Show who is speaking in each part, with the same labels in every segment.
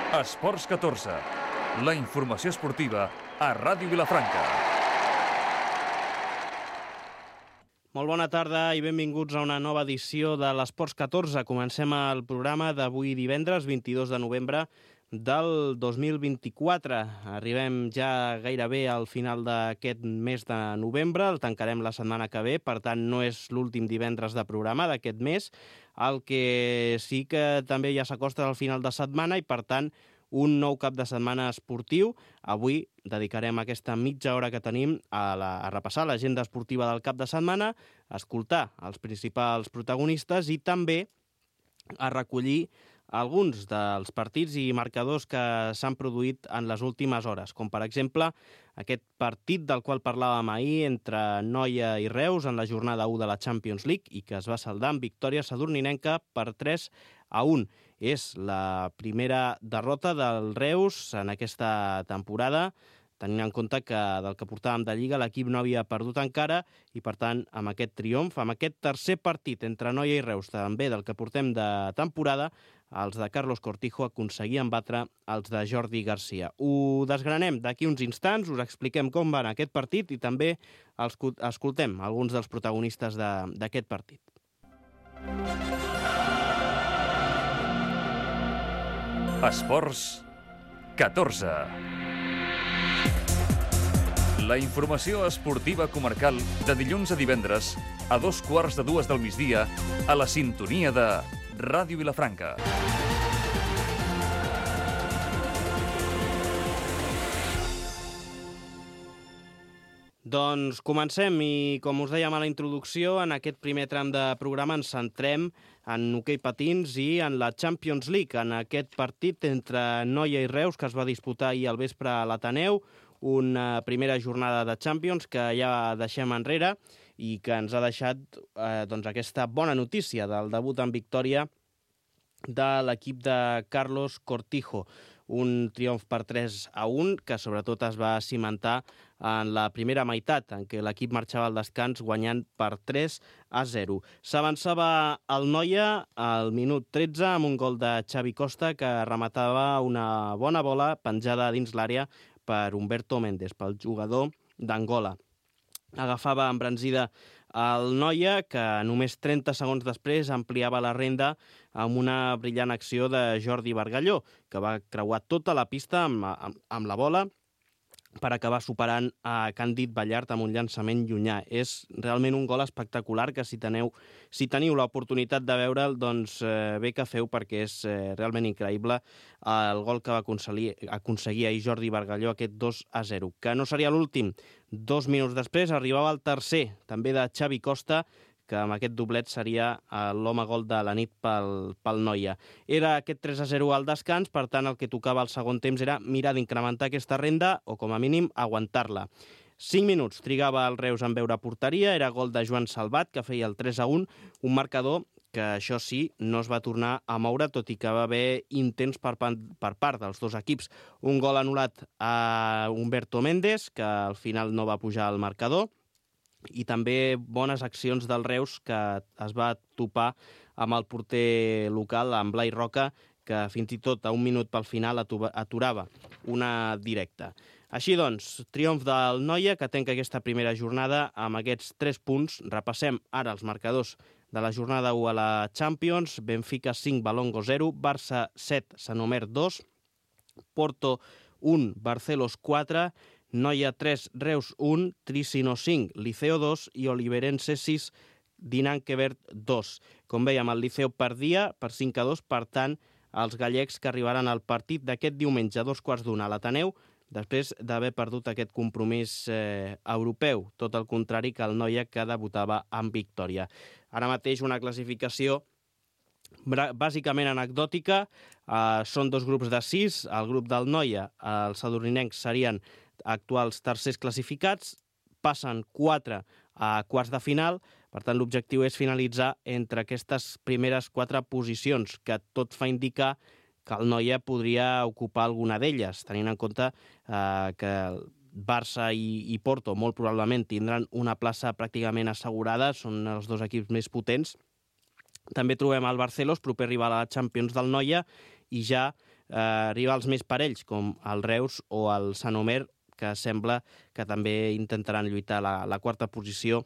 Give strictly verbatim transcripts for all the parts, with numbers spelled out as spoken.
Speaker 1: Esports catorze, la informació esportiva a Ràdio Vilafranca.
Speaker 2: Molt bona tarda i benvinguts a una nova edició de l'Esports catorze. Comencem el programa d'avui divendres, vint-i-dos de novembre del dos mil vint-i-quatre. Arribem ja gairebé al final d'aquest mes de novembre, el tancarem la setmana que ve, per tant no és l'últim divendres de programa d'aquest mes. El que sí que també ja s'acosta al final de setmana i, per tant, un nou cap de setmana esportiu. Avui dedicarem aquesta mitja hora que tenim a, la, a repassar l'agenda esportiva del cap de setmana, a escoltar els principals protagonistes i també a recollir alguns dels partits i marcadors que s'han produït en les últimes hores, com per exemple aquest partit del qual parlàvem ahir entre Noia i Reus en la jornada u de la Champions League i que es va saldar amb victòria sadurninenca per tres a un. És la primera derrota del Reus en aquesta temporada, tenint en compte que del que portàvem de Lliga l'equip no havia perdut encara i, per tant, amb aquest triomf, amb aquest tercer partit entre Noia i Reus, també del que portem de temporada, els de Carlos Cortijo aconseguien batre els de Jordi Garcia. Ho desgranem d'aquí uns instants, us expliquem com va aquest partit i també escoltem alguns dels protagonistes d'aquest partit.
Speaker 1: Esports catorze. La informació esportiva comarcal de dilluns a divendres a dos quarts de dues del migdia a la sintonia de Ràdio Vilafranca.
Speaker 2: Doncs comencem i, com us dèiem a la introducció, en aquest primer tram de programa ens centrem en hoquei patins i en la Champions League, en aquest partit entre Noia i Reus que es va disputar ahir al vespre a l'Ateneu, una primera jornada de Champions que ja deixem enrere i que ens ha deixat eh, doncs aquesta bona notícia del debut en victòria de l'equip de Carlos Cortijo. Un triomf per tres a un que sobretot es va cimentar en la primera meitat, en què l'equip marxava al descans guanyant per tres a zero. S'avançava el Noia al minut tretze amb un gol de Xavi Costa que rematava una bona bola penjada dins l'àrea per Humberto Méndez, pel jugador d'Angola. Agafava embranzida el Noia, que només trenta segons després ampliava la renda amb una brillant acció de Jordi Bargalló, que va creuar tota la pista amb, amb, amb la bola per acabar superant a Càndid Ballart amb un llançament llunyà. És realment un gol espectacular que si teniu, si teniu l'oportunitat de veure'l, doncs eh, bé que feu, perquè és eh, realment increïble el gol que va aconseguir, aconseguir ahir Jordi Bargalló, aquest dos a zero, que no seria l'últim. Dos minuts després arribava el tercer, també de Xavi Costa, que amb aquest doblet seria l'home gol de la nit pel, pel Noia. Era aquest tres a zero al descans, per tant el que tocava al segon temps era mirar d'incrementar aquesta renda o com a mínim aguantar-la. Cinc minuts trigava el Reus en veure porteria, era gol de Joan Salvat, que feia el tres a un, un marcador que això sí, no es va tornar a moure, tot i que va haver intents per, per part dels dos equips. Un gol anul·lat a Humberto Méndez, que al final no va pujar al marcador, i també bones accions del Reus, que es va topar amb el porter local, amb Blai Roca, que fins i tot a un minut pel final aturava una directa. Així doncs, triomf del Noia, que tanca aquesta primera jornada amb aquests tres punts. Repassem ara els marcadors de la jornada u a la Champions. Benfica cinc, Valongo zero, Barça set, Sant Omer dos, Porto un, Barcelos quatre, Noia tres, Reus un, Tricino cinc, Liceo dos i Oliverense sis, Dinanquebert dos. Com veiem, el Liceo perdia per cinc a dos, per tant, els gallecs que arribaran al partit d'aquest diumenge a dos quarts d'una a l'Ateneu, després d'haver perdut aquest compromís eh, europeu, tot el contrari que el Noia, que debutava amb victòria. Ara mateix una classificació bàsicament anecdòtica, eh, són dos grups de sis, el grup del Noia, els sadurninencs serien actuals tercers classificats, passen quatre a quarts de final, per tant l'objectiu és finalitzar entre aquestes primeres quatre posicions, que tot fa indicar que el Noia podria ocupar alguna d'elles, tenint en compte eh, que Barça i, i Porto molt probablement tindran una plaça pràcticament assegurada, són els dos equips més potents. També trobem el Barcelos, proper rival a la Champions del Noia, i ja eh, rivals més parells, com el Reus o el Sant Omer, que sembla que també intentaran lluitar la, la quarta posició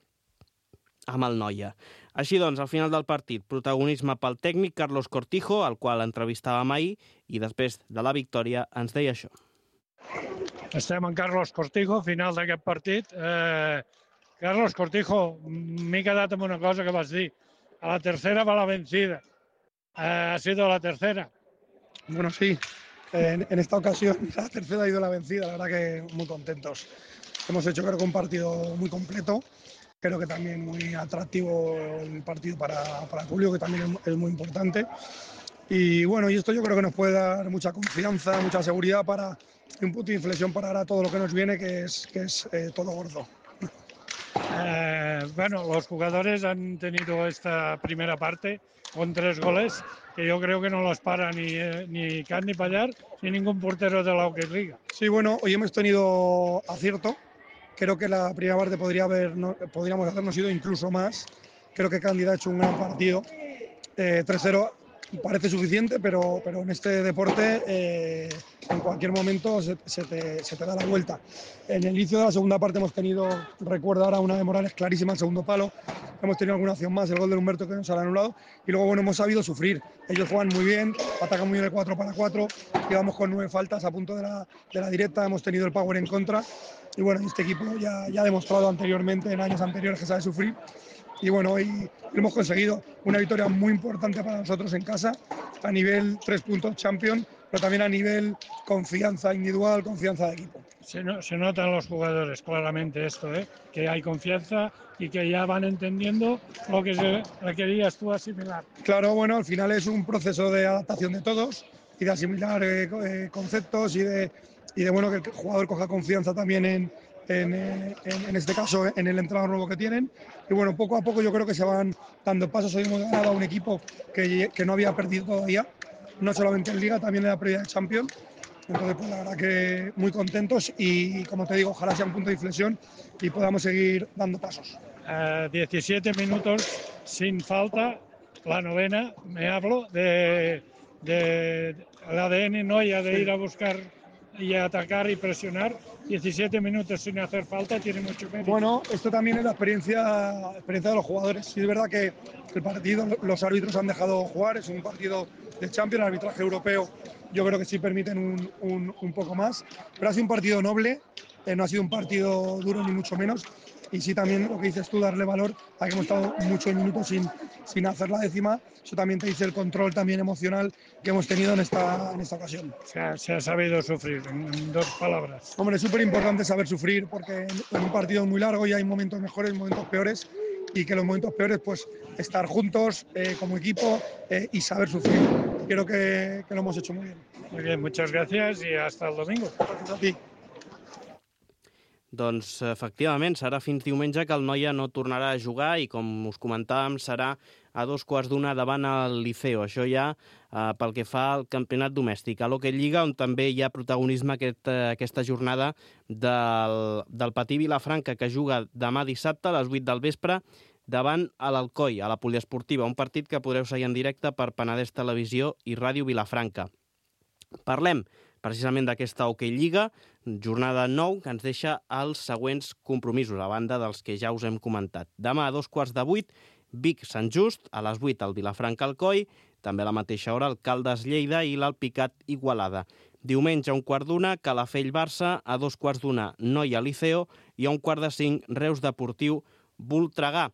Speaker 2: amb el Noia. Així doncs, al final del partit, protagonisme pel tècnic Carlos Cortijo, al qual entrevistàvem ahir, i després de la victòria ens deia això.
Speaker 3: Estem amb Carlos Cortijo, final d'aquest partit. Eh, Carlos Cortijo, m'he quedat amb una cosa que vas dir. A la tercera va la vencida. Eh, ha sido la tercera.
Speaker 4: Bueno, sí. En, en esta ocasión la tercera ha ido la vencida. La verdad que muy contentos. Hemos hecho, creo que, un partido muy completo. Creo que también muy atractivo el partido para, para el público, que también es muy importante. Y bueno, y esto yo creo que nos puede dar mucha confianza, mucha seguridad para un punto de inflexión para ahora todo lo que nos viene, que es, que es eh, todo gordo.
Speaker 3: Eh, bueno, los jugadores han tenido esta primera parte con tres goles que yo creo que no los para ni, eh, ni Can ni Pallar ni ningún portero de la Hockey Liga.
Speaker 4: Sí, bueno, hoy hemos tenido acierto. Creo que la primera parte podría haber, no, podríamos habernos ido incluso más. Creo que Cándida ha hecho un gran partido. Eh, tres cero parece suficiente, pero, pero en este deporte eh, en cualquier momento se, se, te, se te da la vuelta. En el inicio de la segunda parte hemos tenido, recuerdo ahora, una de Morales clarísima, el segundo palo. Hemos tenido alguna acción más, el gol de Humberto que nos ha anulado. Y luego, bueno, hemos sabido sufrir. Ellos juegan muy bien, atacan muy bien el cuatro para cuatro. Llevamos con nueve faltas a punto de la, de la directa. Hemos tenido el power en contra. Y bueno, este equipo ya, ya ha demostrado anteriormente, en años anteriores, que sabe sufrir. Y bueno, hoy hemos conseguido una victoria muy importante para nosotros en casa, a nivel tres puntos champion, pero también a nivel confianza individual, confianza de equipo.
Speaker 3: Se, no, se notan los jugadores claramente esto, ¿eh? Que hay confianza y que ya van entendiendo lo que se, querías tú asimilar.
Speaker 4: Claro, bueno, al final es un proceso de adaptación de todos y de asimilar eh, eh, conceptos y de, y de bueno, que el jugador coja confianza también en, en, en, en este caso en el entrenador nuevo que tienen. Y bueno, poco a poco yo creo que se van dando pasos. Hoy hemos ganado a un equipo que, que no había perdido todavía, no solamente en Liga, también en la previa de Champions. Entonces, pues la verdad que muy contentos y, como te digo, ojalá sea un punto de inflexión y podamos seguir dando pasos.
Speaker 3: Uh, diecisiete minutos sin falta, la novena, me hablo de, de el A D N Noia de ir a buscar y atacar y presionar. diecisiete minutos sin hacer falta tiene mucho mérito.
Speaker 4: Bueno, esto también es la experiencia, experiencia de los jugadores. Sí, es verdad que el partido, los árbitros han dejado jugar, es un partido de Champions, el arbitraje europeo yo creo que sí permiten un, un, un poco más, pero ha sido un partido noble, eh, no ha sido un partido duro ni mucho menos, y sí también lo que dices tú, darle valor a que hemos estado muchos minutos sin, sin hacer la décima. Eso también te dice el control también emocional que hemos tenido en esta, en esta ocasión.
Speaker 3: Se ha, se ha sabido sufrir, en, en dos palabras.
Speaker 4: Hombre, es súper importante saber sufrir porque en un partido muy largo y hay momentos mejores, momentos peores, y que los momentos peores, pues estar juntos eh, como equipo eh, y saber sufrir. Creo que, que lo hemos hecho muy bien.
Speaker 3: Muy bien, muchas gracias y hasta el domingo.
Speaker 4: Gràcies a ti.
Speaker 2: Doncs, efectivament, serà fins diumenge que el Noia no tornarà a jugar i, com us comentàvem, serà a dos quarts d'una davant el Liceo. Això ja eh, pel que fa al campionat domèstic. A l'Hockey Lliga, on també hi ha protagonisme aquest, eh, aquesta jornada del, del Patí Vilafranca, que juga demà dissabte a les vuit del vespre davant a l'Alcoi, a la poliesportiva, un partit que podreu seguir en directe per Penedès Televisió i Ràdio Vilafranca. Parlem precisament d'aquesta Hockey Lliga, jornada nou, que ens deixa els següents compromisos, a banda dels que ja us hem comentat. Demà a dos quarts de vuit, Vic Sant Just, a les vuit el Vilafranca Alcoi, també a la mateixa hora el Caldes Lleida i l'Alpicat Igualada. Diumenge a un quart d'una, Calafell Barça, a dos quarts d'una, Noia Liceo i a un quart de cinc, Reus Deportiu Voltregà.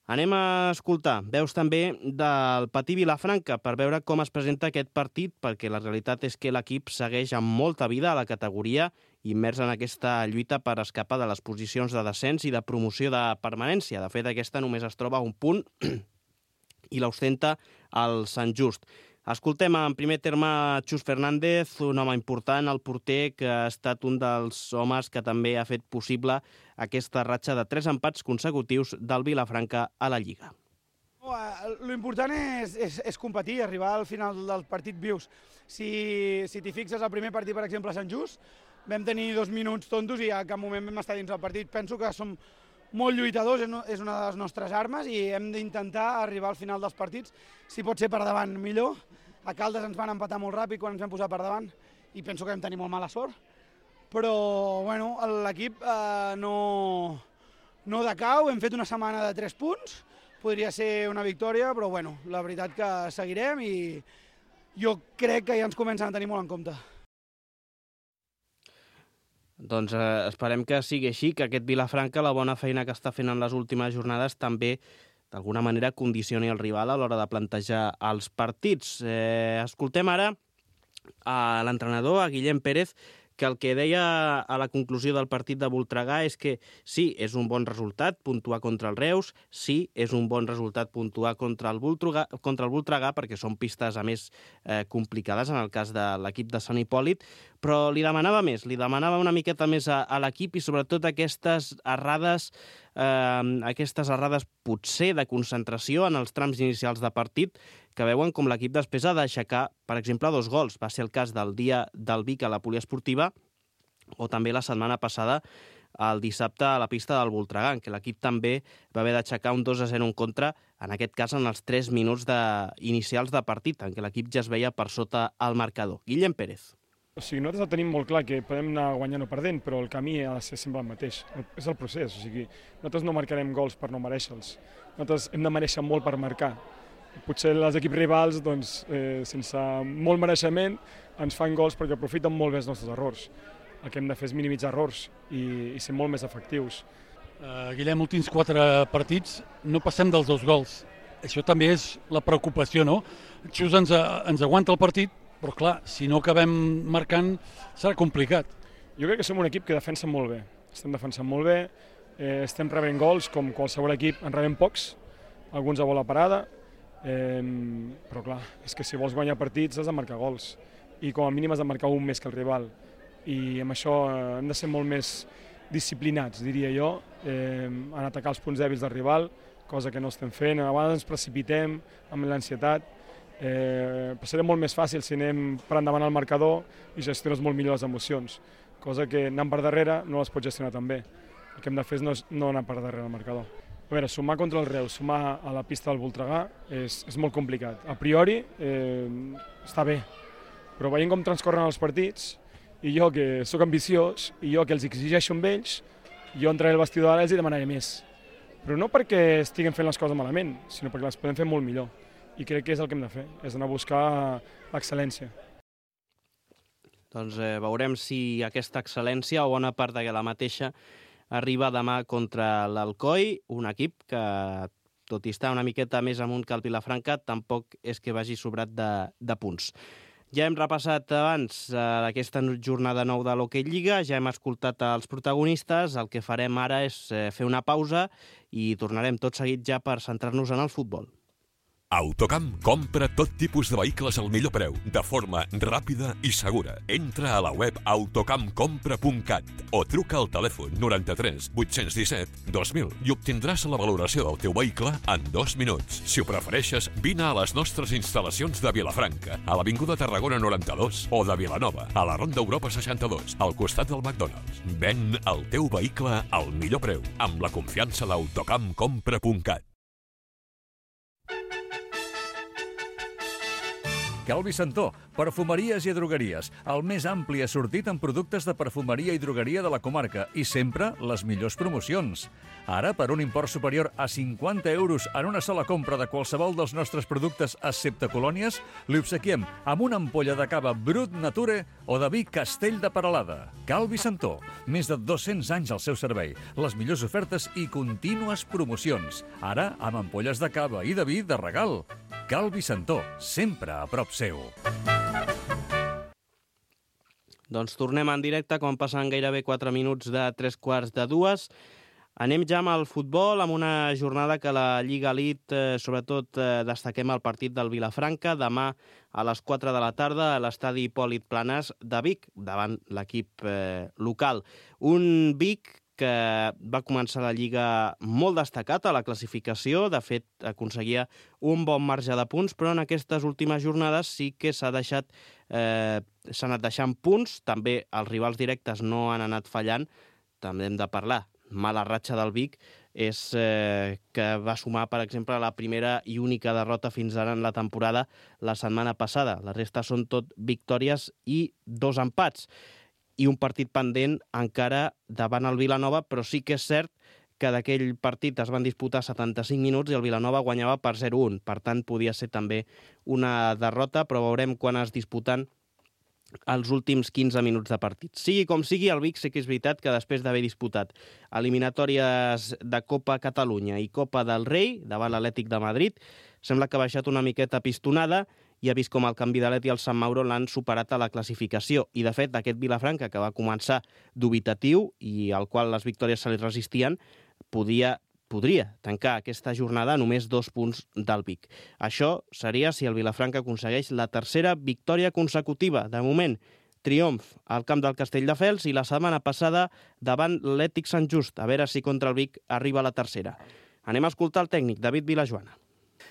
Speaker 2: Anem a escoltar veus també del Patí Vilafranca per veure com es presenta aquest partit, perquè la realitat és que l'equip segueix amb molta vida a la categoria, immers en aquesta lluita per escapar de les posicions de descens i de promoció de permanència. De fet, aquesta només es troba a un punt i l'ostenta el Sant Just. Escoltem en primer terme Xus Fernández, un home important, el porter, que ha estat un dels homes que també ha fet possible aquesta ratxa de tres empats consecutius del Vilafranca a la Lliga.
Speaker 5: Lo important és, és, és competir, arribar al final del partit vius. Si, si t'hi fixes, el primer partit, per exemple, a Sant Just, vam tenir dos minuts tontos i a cap moment vam estar dins del partit. Penso que som molt lluitadors, és una de les nostres armes i hem d'intentar arribar al final dels partits, si pot ser per davant millor, A Caldes ens van empatar molt ràpid quan ens vam posar per davant i penso que vam tenir molt mala sort. Però bueno, l'equip eh, no, no decau, hem fet una setmana de tres punts, podria ser una victòria, però bueno, la veritat que seguirem i jo crec que ja ens comencen a tenir molt en compte.
Speaker 2: Doncs eh, esperem que sigui així, que aquest Vilafranca, la bona feina que està fent en les últimes jornades, també d'alguna manera condicioni el rival a l'hora de plantejar els partits. Eh, escoltem ara a l'entrenador, a Guillem Pérez, que el que deia a la conclusió del partit de Voltregà és que sí, és un bon resultat puntuar contra el Reus, sí, és un bon resultat puntuar contra el Voltregà, contra el Voltregà perquè són pistes, a més, eh, complicades en el cas de l'equip de Sant Hipòlit, però li demanava més, li demanava una miqueta més a, a l'equip i sobretot aquestes errades, eh, aquestes errades potser de concentració en els trams inicials de partit, que veuen com l'equip després ha d'aixecar, per exemple, dos gols. Va ser el cas del dia del Vic a la poliesportiva o també la setmana passada el dissabte a la pista del Voltregà, en què l'equip també va haver d'aixecar un dos a zero en contra, en aquest cas en els tres minuts de, inicials de partit, en què l'equip ja es veia per sota el marcador. Guillem Pérez.
Speaker 6: O sigui, nosaltres tenim molt clar que podem anar guanyant o perdent, però el camí ha de ser sempre el mateix. És el procés, o sigui, nosaltres no marcarem gols per no mereixer-los. Nosaltres hem de mereixer molt per marcar. Potser els equips rivals, doncs, eh, sense molt mereixement, ens fan gols perquè aprofiten molt bé els nostres errors. El que hem de fer és minimitzar errors i, i ser molt més efectius.
Speaker 7: Uh, Guillem, últims quatre partits no passem dels dos gols. Això també és la preocupació, no? Xus ens, ens aguanta el partit, però clar, si no acabem marcant serà complicat.
Speaker 6: Jo crec que som un equip que defensa molt bé. Estem defensant molt bé, eh, estem rebent gols, com qualsevol equip en rebem pocs, alguns a bola parada, eh, però clar, és que si vols guanyar partits has de marcar gols i com a mínim has de marcar un més que el rival i amb això eh, hem de ser molt més disciplinats, diria jo, eh, en atacar els punts dèbils del rival, cosa que no estem fent. A vegades ens precipitem amb l'ansietat, eh, però serà molt més fàcil si anem per endavant al marcador i gestiones molt millor les emocions, cosa que anant per darrere no les pots gestionar tan bé. El que hem de fer és no, no anar per darrere al marcador. A veure, sumar contra el Reus, sumar a la pista del Voltregà és, és molt complicat. A priori eh, està bé, però veient com transcorren els partits, i jo que sóc ambiciós, i jo que els exigeixo amb ells, jo entraré al vestidor ara i els hi demanaré més. Però no perquè estiguem fent les coses malament, sinó perquè les podem fer molt millor. I crec que és el que hem de fer, és anar a buscar l'excel·lència.
Speaker 2: Doncs eh, veurem si aquesta excel·lència o bona part de la mateixa arriba demà contra l'Alcoi, un equip que, tot i estar una miqueta més amunt que el Vilafranca, tampoc és que vagi sobrat de, de punts. Ja hem repassat abans eh, aquesta jornada nou de l'Hockey Lliga, ja hem escoltat els protagonistes, el que farem ara és eh, fer una pausa i tornarem tot seguit ja per centrar-nos en el futbol.
Speaker 8: Autocamp compra tot tipus de vehicles al millor preu, de forma ràpida i segura. Entra a la web autocamp compra punt cat o truca al telèfon noranta-tres vuit-cents disset dos mil i obtindràs la valoració del teu vehicle en dos minuts. Si ho prefereixes, vine a les nostres instal·lacions de Vilafranca, a l'Avinguda Tarragona noranta-dos o de Vilanova, a la Ronda Europa seixanta-dos, al costat del McDonald's. Ven el teu vehicle al millor preu, amb la confiança d'autocamp compra punt cat.
Speaker 1: Calvi Santó, perfumeries i drogueries, el més ampli assortit en productes de perfumeria i drogueria de la comarca i sempre les millors promocions. Ara, per un import superior a cinquanta euros en una sola compra de qualsevol dels nostres productes excepte colònies, li obsequiem amb una ampolla de cava Brut Nature o de vi Castell de Peralada. Calvi Santó, més de dos-cents anys al seu servei, les millors ofertes i contínues promocions. Ara, amb ampolles de cava i de vi de regal. Calvi Santó, sempre a prop seu.
Speaker 2: Doncs tornem en directe quan passen gairebé quatre minuts de tres quarts de dues. Anem ja amb el futbol, amb una jornada que la Lliga Elite, eh, sobretot eh, destaquem el partit del Vilafranca, demà a les quatre de la tarda a l'estadi Hipòlit Planàs de Vic, davant l'equip eh, local. Un Vic que va començar la Lliga molt destacat a la classificació, de fet aconseguia un bon marge de punts, però en aquestes últimes jornades sí que s'ha deixat, eh, s'ha anat deixant punts, també els rivals directes no han anat fallant, també hem de parlar, mala ratxa del Vic, és eh, que va sumar, per exemple, la primera i única derrota fins ara en la temporada la setmana passada. La resta són tot victòries i dos empats. I un partit pendent encara davant el Vilanova, però sí que és cert que d'aquell partit es van disputar setanta-cinc minuts i el Vilanova guanyava per zero a un. Per tant, podia ser també una derrota, però veurem quan es disputen els últims quinze minuts de partit. Sigui com sigui, el Vic sí que és veritat que després d'haver disputat eliminatòries de Copa Catalunya i Copa del Rei davant l'Atlètic de Madrid, sembla que ha baixat una miqueta pistonada i ha vist com el Can Vidalet i el Sant Mauro l'han superat a la classificació. I, de fet, aquest Vilafranca, que va començar dubitatiu i al qual les victòries se li resistien, podia, podria tancar aquesta jornada a només dos punts del Vic. Això seria si el Vilafranca aconsegueix la tercera victòria consecutiva. De moment, triomf al camp del Castelldefels i la setmana passada davant l'Atlètic Sant Just. A veure si contra el Vic arriba la tercera. Anem a escoltar el tècnic, David Vilajoana.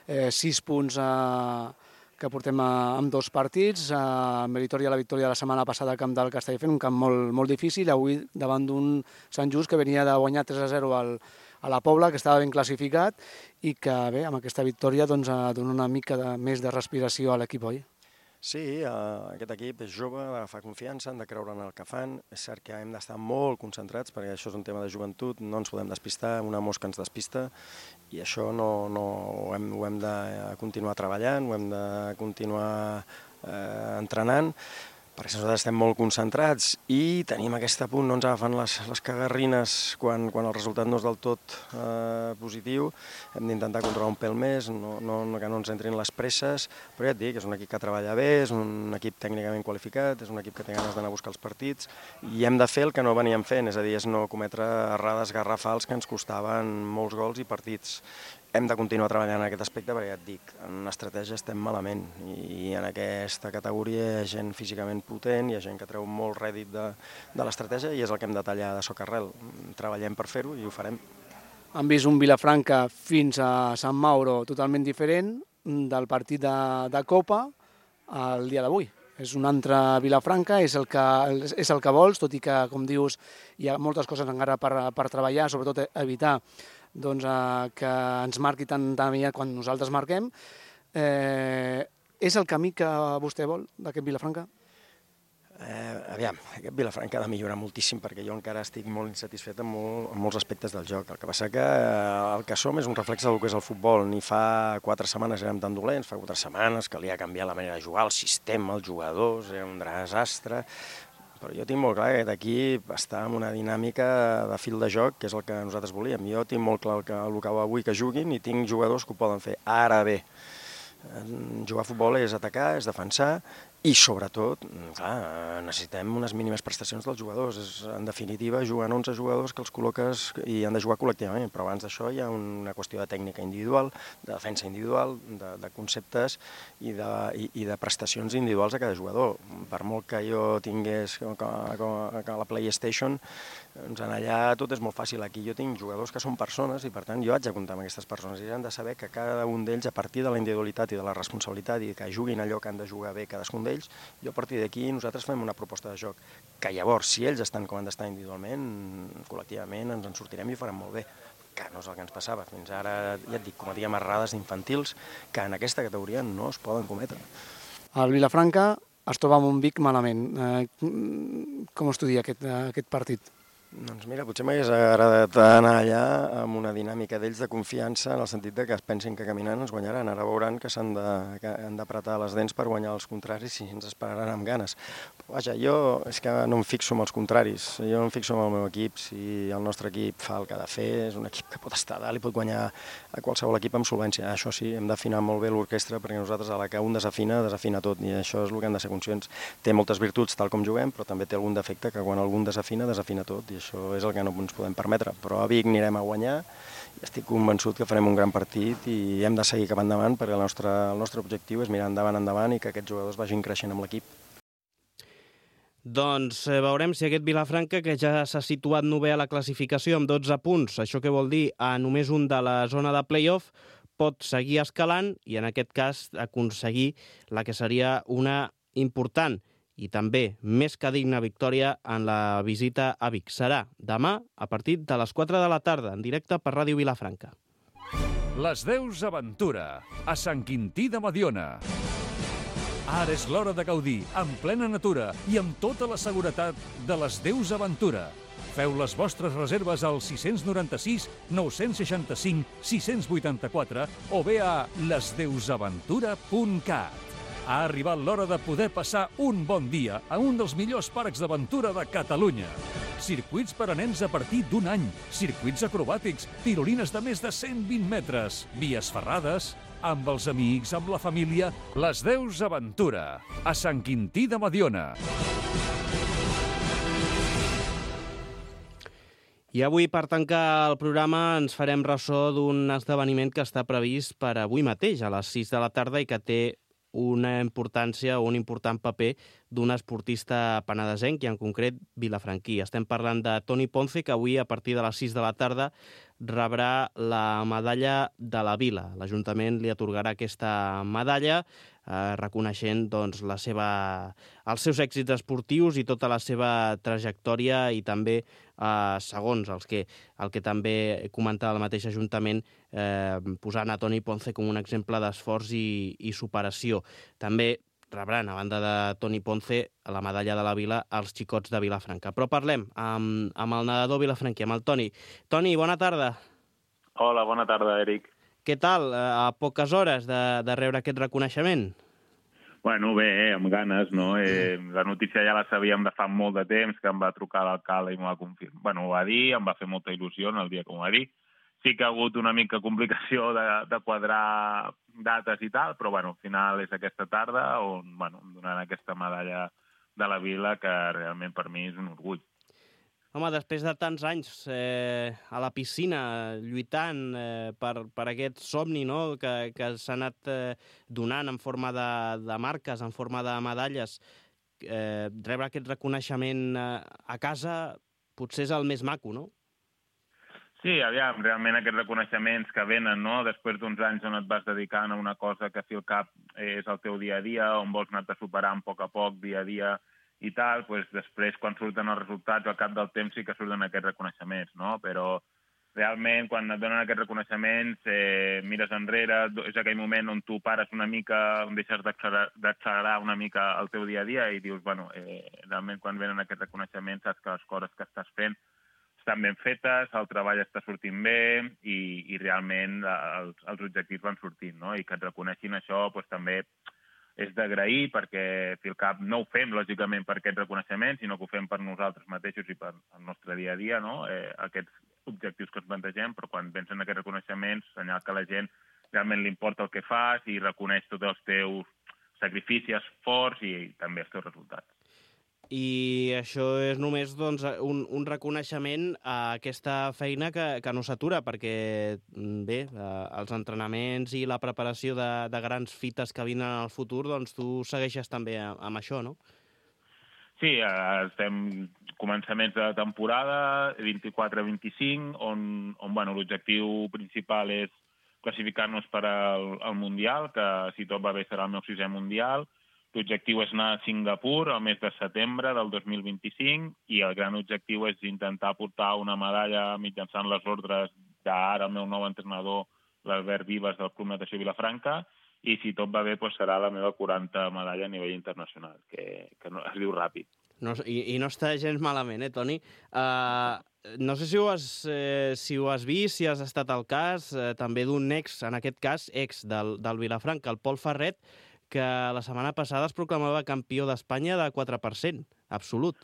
Speaker 9: Eh, sis punts a... que portem a, amb dos partits, a Meritori a la victòria la setmana passada al camp del Castelldefels, un camp molt, molt difícil, avui davant d'un Sant Just que venia de guanyar tres a zero al, a la Pobla, que estava ben classificat, i que bé, amb aquesta victòria doncs, dona una mica de, més de respiració a l'equip, oi?
Speaker 10: Sí, eh, aquest equip és jove, fa confiança, han de creure en el que fan. És cert que hem d'estar molt concentrats perquè això és un tema de joventut, no ens podem despistar, una mosca ens despista i això no, no, ho, hem, ho hem de continuar treballant, ho hem de continuar eh, entrenant, perquè nosaltres estem molt concentrats i tenim aquest punt, no ens agafen les, les cagarrines quan, quan el resultat no és del tot eh, positiu. Hem d'intentar controlar un pèl més, no, no, que no ens entrin les presses, però ja et dic, és un equip que treballa bé, és un equip tècnicament qualificat, és un equip que té ganes d'anar a buscar els partits i hem de fer el que no veníem fent, és a dir, és no cometre errades garrafals que ens costaven molts gols i partits. Hem de continuar treballant en aquest aspecte perquè ja et dic, en estratègia estem malament i en aquesta categoria hi ha gent físicament potent, hi ha gent que treu molt rèdit de, de l'estratègia i és el que hem de tallar de socarrel. Treballem per fer-ho i ho farem.
Speaker 9: Han vist un Vilafranca fins a Sant Mauro totalment diferent del partit de, de Copa al dia d'avui. És un altre Vilafranca, és el, que, és el que vols, tot i que, com dius, hi ha moltes coses encara per, per treballar, sobretot evitar doncs, eh, que ens marqui tan, tan aviat quan nosaltres marquem. Eh, és el camí que vostè vol d'aquest Vilafranca?
Speaker 10: Eh, aviam, aquest Vilafranca ha de millorar moltíssim perquè jo encara estic molt insatisfet amb, molt, amb molts aspectes del joc. El que passa que eh, el que som és un reflex del que és el futbol. Ni fa quatre setmanes érem tan dolents, fa quatre setmanes calia canviar la manera de jugar, el sistema, els jugadors, era un desastre. Però jo tinc molt clar que aquest equip està en una dinàmica de fil de joc, que és el que nosaltres volíem. Jo tinc molt clar el que, el que avui que juguin i tinc jugadors que ho poden fer. Ara bé, jugar a futbol és atacar, és defensar i, sobretot, clar, necessitem unes mínimes prestacions dels jugadors. És, en definitiva, juguen onze jugadors que els col·loques i han de jugar col·lectivament, però abans d'això hi ha una qüestió de tècnica individual, de defensa individual, de, de conceptes i de, i, i de prestacions individuals a cada jugador. Per molt que jo tingués que, que, que la PlayStation, doncs allà tot és molt fàcil. Aquí jo tinc jugadors que són persones i, per tant, jo haig de comptar amb aquestes persones i han de saber que cada un d'ells, a partir de la individualitat i de la responsabilitat i que juguin allò que han de jugar bé cadascun d'ells, jo a partir d'aquí nosaltres fem una proposta de joc que llavors, si ells estan com han d'estar individualment, col·lectivament ens en sortirem i ho farem molt bé, que no és el que ens passava. Fins ara, ja et dic, cometíem errades infantils que en aquesta categoria no es poden cometre.
Speaker 9: El Vilafranca es troba amb un Vic malament. Eh, com estudia aquest, aquest partit?
Speaker 10: Doncs mira, potser m'hagués agradat anar allà amb una dinàmica d'ells de confiança en el sentit de que es pensin que caminant ens guanyaran. Ara veuran que s'han d'apretar les dents per guanyar els contraris i ens esperaran amb ganes. Però vaja, jo és que no em fixo en els contraris, jo em fixo en el meu equip. Si el nostre equip fa el que ha de fer, és un equip que pot estar a dalt i pot guanyar a qualsevol equip amb solvència. Això sí, hem d'afinar molt bé l'orquestra perquè nosaltres a la que un desafina, desafina tot i això és el que hem de ser conscients. Té moltes virtuts tal com juguem, però també té algun defecte que quan algun desafina, desafina tot i això és el que no ens podem permetre, però a Vic anirem a guanyar i estic convençut que farem un gran partit i hem de seguir cap endavant perquè el nostre, el nostre objectiu és mirar endavant, endavant i que aquests jugadors vagin creixent amb l'equip.
Speaker 2: Doncs eh, veurem si aquest Vilafranca, que ja s'ha situat novè a la classificació amb dotze punts, això què vol dir? A només un de la zona de play-off, pot seguir escalant i en aquest cas aconseguir la que seria una important i també més que digna victòria en la visita a Vic. Serà demà a partir de les quatre de la tarda, en directe per Ràdio Vilafranca.
Speaker 1: Les Deus Aventura, a Sant Quintí de Mediona. Ara és l'hora de gaudir, en plena natura i amb tota la seguretat de les Deus Aventura. Feu les vostres reserves al sis nou sis, nou sis cinc, sis vuit quatre o bé a les deus aventura punt cat. Ha arribat l'hora de poder passar un bon dia a un dels millors parcs d'aventura de Catalunya. Circuits per a nens a partir d'un any, circuits acrobàtics, tirolines de més de cent vint metres, vies ferrades, amb els amics, amb la família, les Deus Aventura, a Sant Quintí de Mediona.
Speaker 2: I avui, per tancar el programa, ens farem ressò d'un esdeveniment que està previst per avui mateix, a les sis de la tarda, i que té una importància o un important paper d'un esportista penedesenc i en concret vilafranquí. Estem parlant de Toni Ponce, que avui a partir de les sis de la tarda rebrà la medalla de la Vila. L'Ajuntament li atorgarà aquesta medalla eh, reconeixent doncs, la seva, els seus èxits esportius i tota la seva trajectòria i també, eh, segons els que, el que també comentava el mateix Ajuntament, eh, posant a Toni Ponce com un exemple d'esforç i, i superació. També rebran, a banda de Toni Ponce, la medalla de la Vila als xicots de Vilafranca. Però parlem amb, amb el nedador vilafranquí, amb el Toni. Toni, bona tarda.
Speaker 11: Hola, bona tarda, Eric.
Speaker 2: Què tal? A poques hores de, de rebre aquest reconeixement?
Speaker 11: Bueno, bé, eh, amb ganes, no? Eh, la notícia ja la sabíem de fa molt de temps, que em va trucar l'alcalde i m'ho va confirmar. Bueno, ho va dir, em va fer molta il·lusió en el dia que m'ho va dir. Sí que ha hagut una mica complicació de, de quadrar dates i tal, però bueno, al final és aquesta tarda on bueno, em donaran aquesta medalla de la Vila, que realment per mi és un orgull.
Speaker 2: Home, després de tants anys eh, a la piscina, lluitant eh, per, per aquest somni, no?, que, que s'ha anat eh, donant en forma de, de marques, en forma de medalles, eh, rebre aquest reconeixement eh, a casa potser és el més maco, no?
Speaker 11: Sí, aviam, realment aquests reconeixements que venen, no?, després d'uns anys on et vas dedicant a una cosa que fi al cap és el teu dia a dia, on vols anar-te superant a poc a poc, dia a dia i tal, doncs després, quan surten els resultats, al cap del temps sí que surten aquests reconeixements, no? Però realment, quan et donen aquests reconeixements, eh, mires enrere, és aquell moment on tu pares una mica, on deixes d'accelerar una mica el teu dia a dia i dius, bueno, eh, realment quan venen aquests reconeixements saps que les coses que estàs fent estan ben fetes, el treball està sortint bé i, i realment els, els objectius van sortint, no? I que et reconeixin això doncs, també és d'agrair perquè fi al cap no ho fem lògicament per aquests reconeixements, sinó que ho fem per nosaltres mateixos i per el nostre dia a dia, no? Eh, aquests objectius que ens plantegem, però quan pensen en aquests reconeixements, senyal que a la gent realment li importa el que fas i reconeix tots els teus sacrificis, esforç i, i també els teus resultats.
Speaker 2: I això és només doncs, un, un reconeixement a aquesta feina que, que no s'atura, perquè bé, els entrenaments i la preparació de, de grans fites que vinen al futur, doncs tu segueixes també amb això, no?
Speaker 11: Sí, estem començaments de temporada, vint-i-quatre vint-i-cinc, on, on bueno, l'objectiu principal és classificar-nos per al, al Mundial, que si tot va bé serà el meu sisè Mundial. L'objectiu és anar a Singapur el mes de setembre del dos mil vint-i-cinc i el gran objectiu és intentar portar una medalla mitjançant les ordres d'ara el meu nou entrenador, l'Albert Vives, del Club Natació Vilafranca, i si tot va bé doncs serà la meva quaranta medalla a nivell internacional, que, que no, es diu ràpid.
Speaker 2: No, i, I no està gens malament, eh, Toni? Uh, no sé si ho, has, eh, si ho has vist, si has estat al cas, eh, també d'un ex, en aquest cas, ex del, del Vilafranca, el Pol Ferret, que la setmana passada es proclamava campió d'Espanya de quatre per cent, absolut.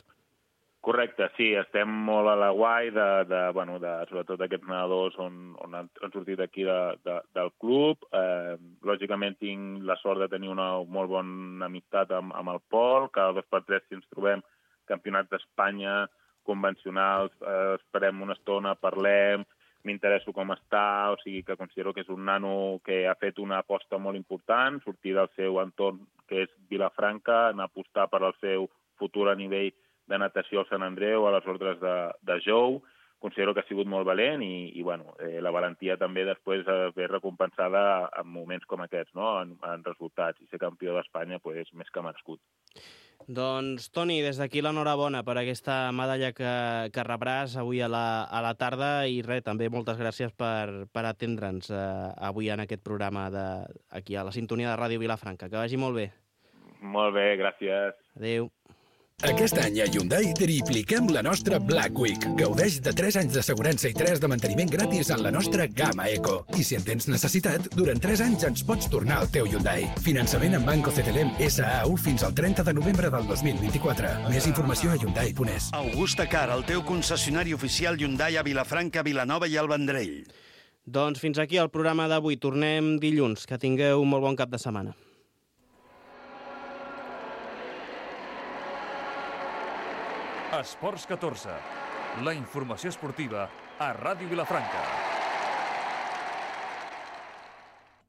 Speaker 11: Correcte, sí, estem molt a la guai de, de, bueno, de sobretot aquests nedadors on, on han, han sortit aquí de, de, del club. Eh, lògicament tinc la sort de tenir una molt bona amistat amb, amb el Pol, cada dos per tres si ens trobem campionats d'Espanya convencionals, eh, esperem una estona, parlem, m'interesso com està, o sigui que considero que és un nano que ha fet una aposta molt important, sortir del seu entorn, que és Vilafranca, anar a apostar per al seu futur a nivell de natació al Sant Andreu, a les ordres de, de Jou. Considero que ha sigut molt valent i, i bueno, eh, la valentia també després ve recompensada en moments com aquests, no? en, en resultats. I ser campió d'Espanya pues, és més que merescut.
Speaker 2: Doncs, Toni, des d'aquí l'enhorabona per aquesta medalla que, que rebràs avui a la, a la tarda i res, també moltes gràcies per, per atendre'ns eh, avui en aquest programa de, aquí a la sintonia de Ràdio Vilafranca. Que vagi molt bé.
Speaker 11: Molt bé, gràcies.
Speaker 2: Adéu.
Speaker 12: Aquest any a Hyundai tripliquem la nostra Black Week. Gaudeix de tres anys d'assegurança i tres de manteniment gratis en la nostra gamma Eco. I si en tens necessitat, durant tres anys ens pots tornar al teu Hyundai. Finançament en Banco C T L M S A U fins al trenta de novembre del dos mil vint-i-quatre. Més informació a hyundai punt es.
Speaker 13: Augusta Car, el teu concessionari oficial Hyundai a Vilafranca, Vilanova i el Vendrell.
Speaker 2: Doncs fins aquí el programa d'avui. Tornem dilluns. Que tingueu un molt bon cap de setmana.
Speaker 1: Esports catorze. La informació esportiva a Ràdio Vilafranca.